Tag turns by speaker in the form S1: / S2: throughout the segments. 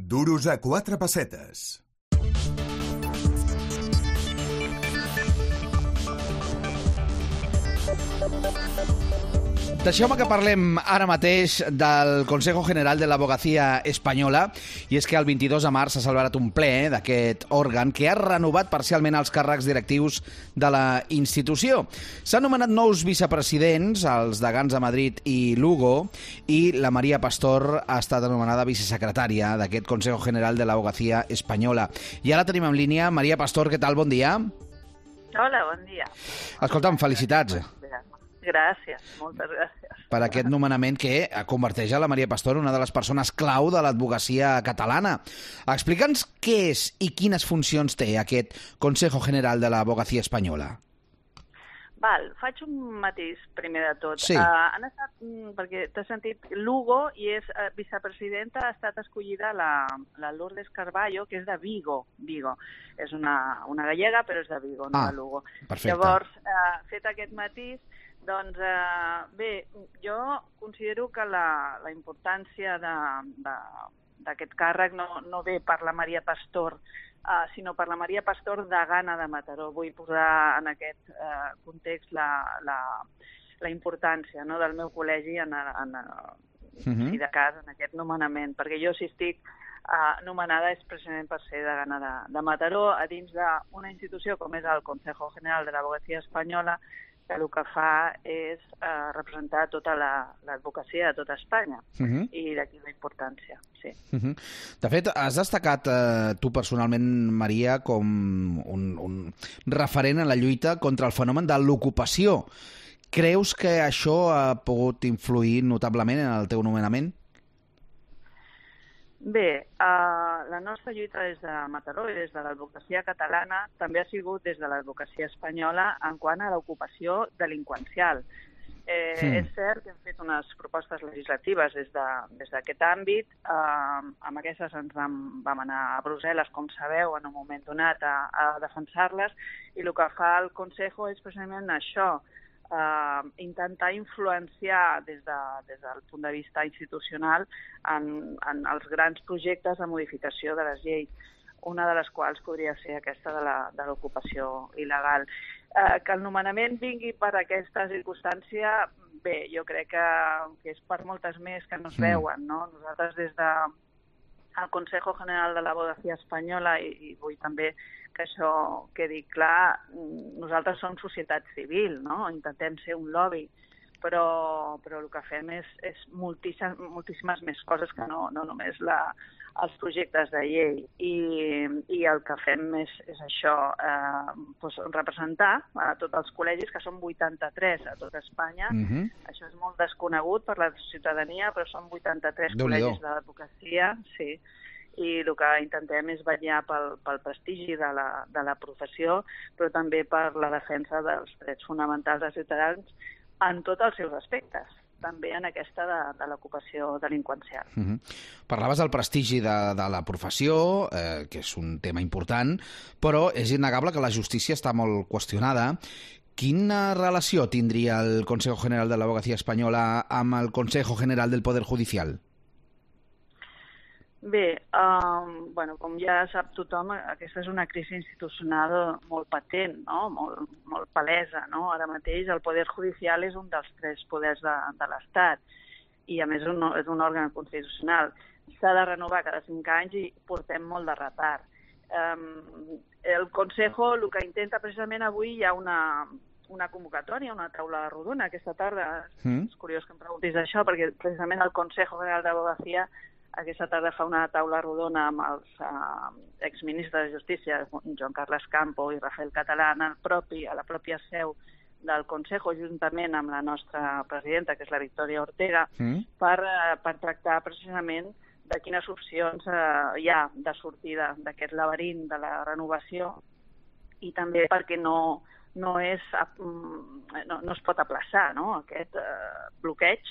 S1: Duros a 4 pessetes.
S2: Deixeu-me que parlem ara mateix del Consejo General de l'Abogacía Espanyola, i és que el 22 de març s'ha celebrat un ple d'aquest òrgan que ha renovat parcialment els càrrecs directius de la institució. S'han nomenat nous vicepresidents, els degans de Madrid i Lugo, i la Maria Pastor ha estat anomenada vicesecretària d'aquest Consejo General de l'Abogacía Espanyola. I ara tenim en línia Maria Pastor. Què tal? Bon dia.
S3: Hola, bon dia.
S2: Escolta'm, felicitats.
S3: Gràcies, moltes gràcies.
S2: Per aquest nomenament que converteix a la Maria Pastor en una de les persones clau de l'advocacia catalana. Explica'ns què és i quines funcions té aquest Consejo General de l'Abogacía Espanyola.
S3: Val, faig un matís primer de tot.
S2: Sí.
S3: Han estat, perquè t'has sentit, Lugo, i és vicepresidenta, ha estat escollida la Lourdes Carballo, que és de Vigo. És una gallega, però és de Vigo, no de Lugo.
S2: Perfecte.
S3: Llavors, fet aquest matís, doncs, bé, jo considero que la importància d'aquest càrrec no ve per la Maria Pastor, sinó per la Maria Pastor degana de Mataró. Vull posar en aquest context la importància del meu col·legi si de cas en aquest nomenament, perquè jo si estic nomenada és precisament per ser degana de Mataró a dins d'una institució com és el Consejo General de l'Abogacía Espanyola, que el que fa és representar tota l'advocacia de tota Espanya, i d'aquí la importància, sí.
S2: De fet, has destacat tu personalment, Maria, com un referent en la lluita contra el fenomen de l'ocupació. Creus que això ha pogut influir notablement en el teu nomenament?
S3: Bé, la nostra lluita des de Mataró i des de l'advocacia catalana també ha sigut des de l'advocacia espanyola en quant a l'ocupació delinqüencial. És cert que hem fet unes propostes legislatives des d'aquest àmbit. Amb aquestes ens vam anar a Brussel·les, com sabeu, en un moment donat a defensar-les, i el que fa el Consejo és precisament això, intentar influenciar des del punt de vista institucional en els grans projectes de modificació de les lleis, una de les quals podria ser aquesta de l'ocupació il·legal. Que el nomenament vingui per aquesta circumstància, bé, jo crec que és per moltes més que no es veuen, no? Nosaltres des del Consejo General de l'Abogacía Espanyola, i vull també que això quedi clar, nosaltres som societat civil, no? Intentem ser un lobby, però el que fem és moltíssimes més coses que no només els projectes de llei. I el que fem és això, representar a tots els col·legis, que són 83 a tot Espanya. Això és molt desconegut per la ciutadania, però són 83 col·legis de l'advocacia, sí. I el que intentem és vetllar pel prestigi de la professió, però també per la defensa dels drets fonamentals dels ciutadans en tots els seus aspectes, també en aquesta de l'ocupació delinqüencial.
S2: Parlaves del prestigi de la professió, que és un tema important, però és innegable que la justícia està molt qüestionada. Quina relació tindria el Consejo General de l'Abogacía Espanyola amb el Consejo General del Poder Judicial?
S3: Bé, com ja sap tothom, aquesta és una crisi institucional molt patent, no? Molt palesa, no? Ara mateix el Poder Judicial és un dels 3 poders de l'Estat i, a més, és un òrgan constitucional. S'ha de renovar cada 5 anys i portem molt de retard. El Consejo el que intenta precisament avui, hi ha una convocatòria, una taula rodona aquesta tarda. És curiós que em preguntis això, perquè precisament el Consejo General d'Abogacía aquesta tarda fa una taula rodona amb els exministres de Justícia, Joan Carles Campo i Rafael Catalán, a la pròpia seu del Consejo, juntament amb la nostra presidenta, que és la Victòria Ortega, per tractar precisament de quines opcions hi ha de sortida d'aquest laberint de la renovació, i també perquè no es pot aplaçar, no? Aquest bloqueig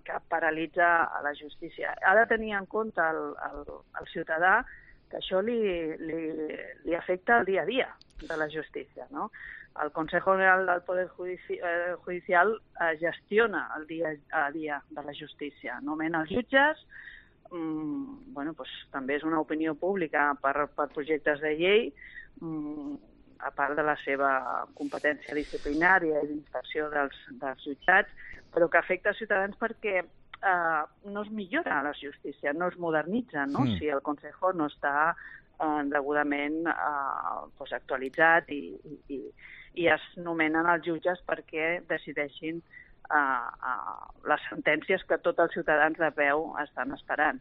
S3: que paralitza a la justícia. Ha de tenir en compte el ciutadà que això li afecta el dia a dia de la justícia, no? El Consejo General del Poder Judicial gestiona el dia a dia de la justícia, nomena els jutges, també és una opinió pública per projectes de llei, a part de la seva competència disciplinària i d'inspecció dels jutjats, però que afecta els ciutadans perquè no es millora la justícia, no es modernitza, no? Si el Consejo no està degudament actualitzat i es nomenen els jutges perquè decideixin les sentències que tots els ciutadans de peu estan esperant.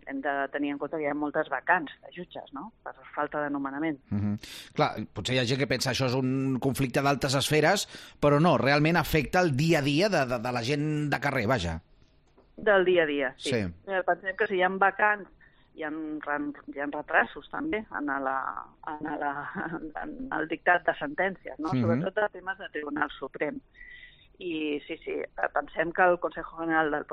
S3: Hem de tenir en compte que hi ha moltes vacants de jutges, no?, per falta de nomenament.
S2: Clar, potser hi ha gent que pensa això és un conflicte d'altes esferes, però no, realment afecta el dia a dia de la gent de carrer, vaja.
S3: Del dia a dia, sí.
S2: Sí.
S3: Pensem que si hi ha vacants, hi ha retrasos també en el dictat de sentències, no? Sobretot de temes de Tribunal Suprem. I sí, pensem que el Consejo General del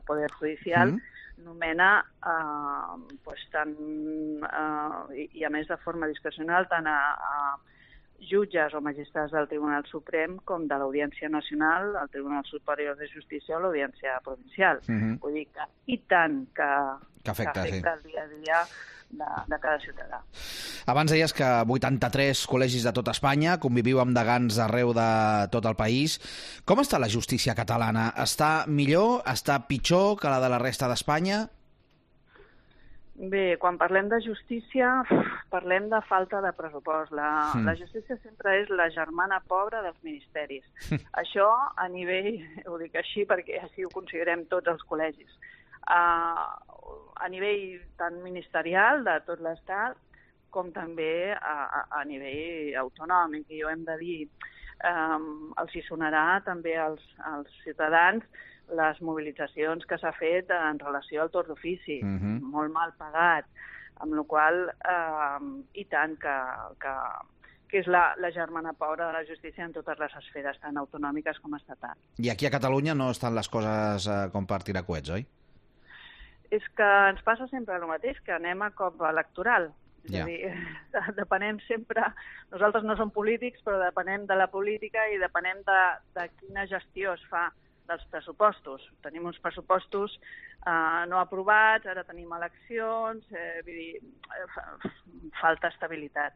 S3: Poder Judicial nomena i a més de forma discrecional tant a jutges o magistrats del Tribunal Suprem com de l'Audiència Nacional, el Tribunal Superior de Justícia o l'Audiència Provincial. Vull dir que i tant que afecta el dia a dia de cada ciutadà.
S2: Abans deies que 83 col·legis de tot Espanya, conviviu amb degans arreu de tot el país. Com està la justícia catalana? Està millor? Està pitjor que la de la resta d'Espanya?
S3: Bé, quan parlem de justícia, parlem de falta de pressupost. La justícia sempre és la germana pobra dels ministeris. Això a nivell, ho dic així perquè així ho considerem tots els col·legis, a nivell tant ministerial de tot l'Estat com també a nivell autonòmic. I ho hem de dir, els hi sonarà també als ciutadans les mobilitzacions que s'ha fet en relació al torn d'ofici, molt mal pagat, amb la qual i tant que és la germana pobra de la justícia en totes les esferes, tant autonòmiques com estatals.
S2: I aquí a Catalunya no estan les coses com per tirar coets, oi?
S3: És que ens passa sempre el mateix, que anem a cop electoral. És a dir, depenem sempre... Nosaltres no som polítics, però depenem de la política i depenem de quina gestió es fa dels pressupostos. Tenim uns pressupostos no aprovats, ara tenim eleccions, vull dir, falta estabilitat.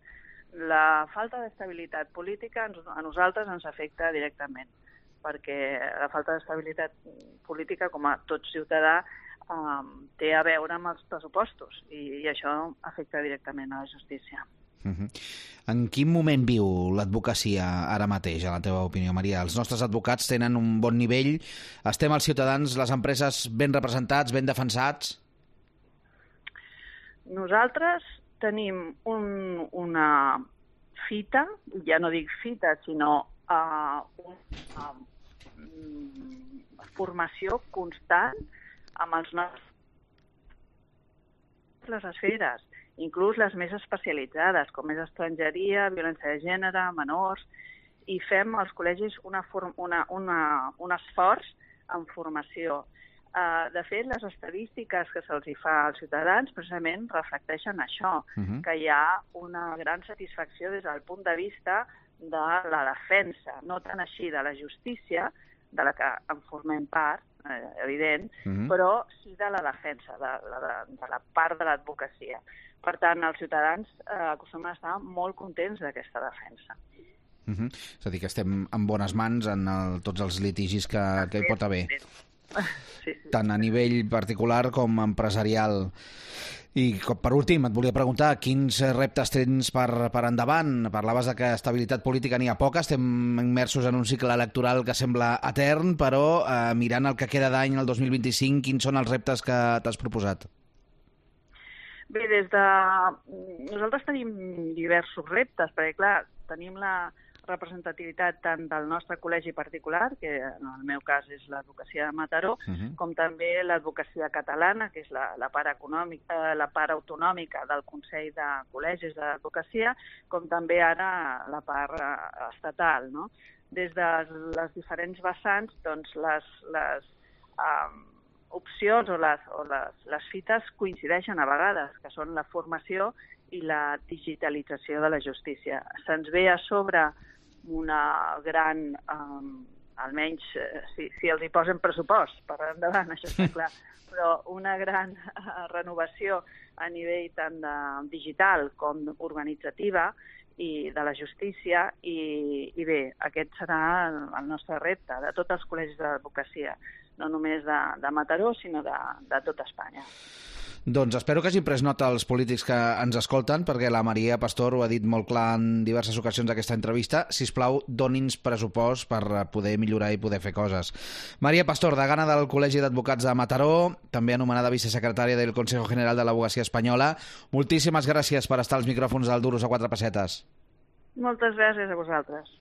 S3: La falta d'estabilitat política a nosaltres ens afecta directament, perquè la falta d'estabilitat política, com a tot ciutadà, té a veure amb els pressupostos i això afecta directament a la justícia.
S2: En quin moment viu l'advocacia ara mateix, a la teva opinió, Maria? Els nostres advocats tenen un bon nivell? Estem els ciutadans, les empreses, ben representats, ben defensats?
S3: Nosaltres tenim una fita, ja no dic fita, sinó una formació constant amb els nostres les esferes, inclús les més especialitzades, com és estrangeria, violència de gènere, menors, i fem als col·legis un esforç en formació. De fet, les estadístiques que se'ls fa als ciutadans precisament reflecteixen això, que hi ha una gran satisfacció des del punt de vista de la defensa, no tant així de la justícia, de la que en formem part, evident, però sí de la defensa, de la part de l'advocacia. Per tant, els ciutadans acostumen a estar molt contents d'aquesta defensa.
S2: És a dir, que estem en bones mans en tots els litigis que hi pot haver, tant a nivell particular com empresarial. I per últim, et volia preguntar quins reptes tens per endavant. Parlaves de que estabilitat política n'hi ha poca, estem immersos en un cicle electoral que sembla etern, però mirant el que queda d'any, el 2025, quins són els reptes que t'has proposat?
S3: Bé, nosaltres tenim diversos reptes, perquè clar, tenim la representativitat tant del nostre col·legi particular, que en el meu cas és l'advocacia de Mataró, com també l'advocacia catalana, que és la part autonòmica del Consell de Col·legis d'Advocacia, com també ara la part estatal, no? Des de les diferents vessants, doncs les opcions o les fites coincideixen a vegades, que són la formació i la digitalització de la justícia. Se'ns ve a sobre una gran almenys si els hi posen pressupost per endavant, això està clar, però una gran renovació a nivell tant digital com organitzativa i de la justícia, i bé, aquest serà el nostre repte de tots els col·legis de l'advocacia, no només de Mataró, sinó de tota Espanya.
S2: Doncs espero que hagin pres nota els polítics que ens escolten, perquè la Maria Pastor ho ha dit molt clar en diverses ocasions d'aquesta entrevista. Sisplau, doni'ns pressupost per poder millorar i poder fer coses. Maria Pastor, degana del Col·legi d'Advocats de Mataró, també anomenada vicesecretària del Consejo General de l'Abogacía Espanyola. Moltíssimes gràcies per estar als micròfons del Duros a 4 pessetes.
S3: Moltes gràcies a vosaltres.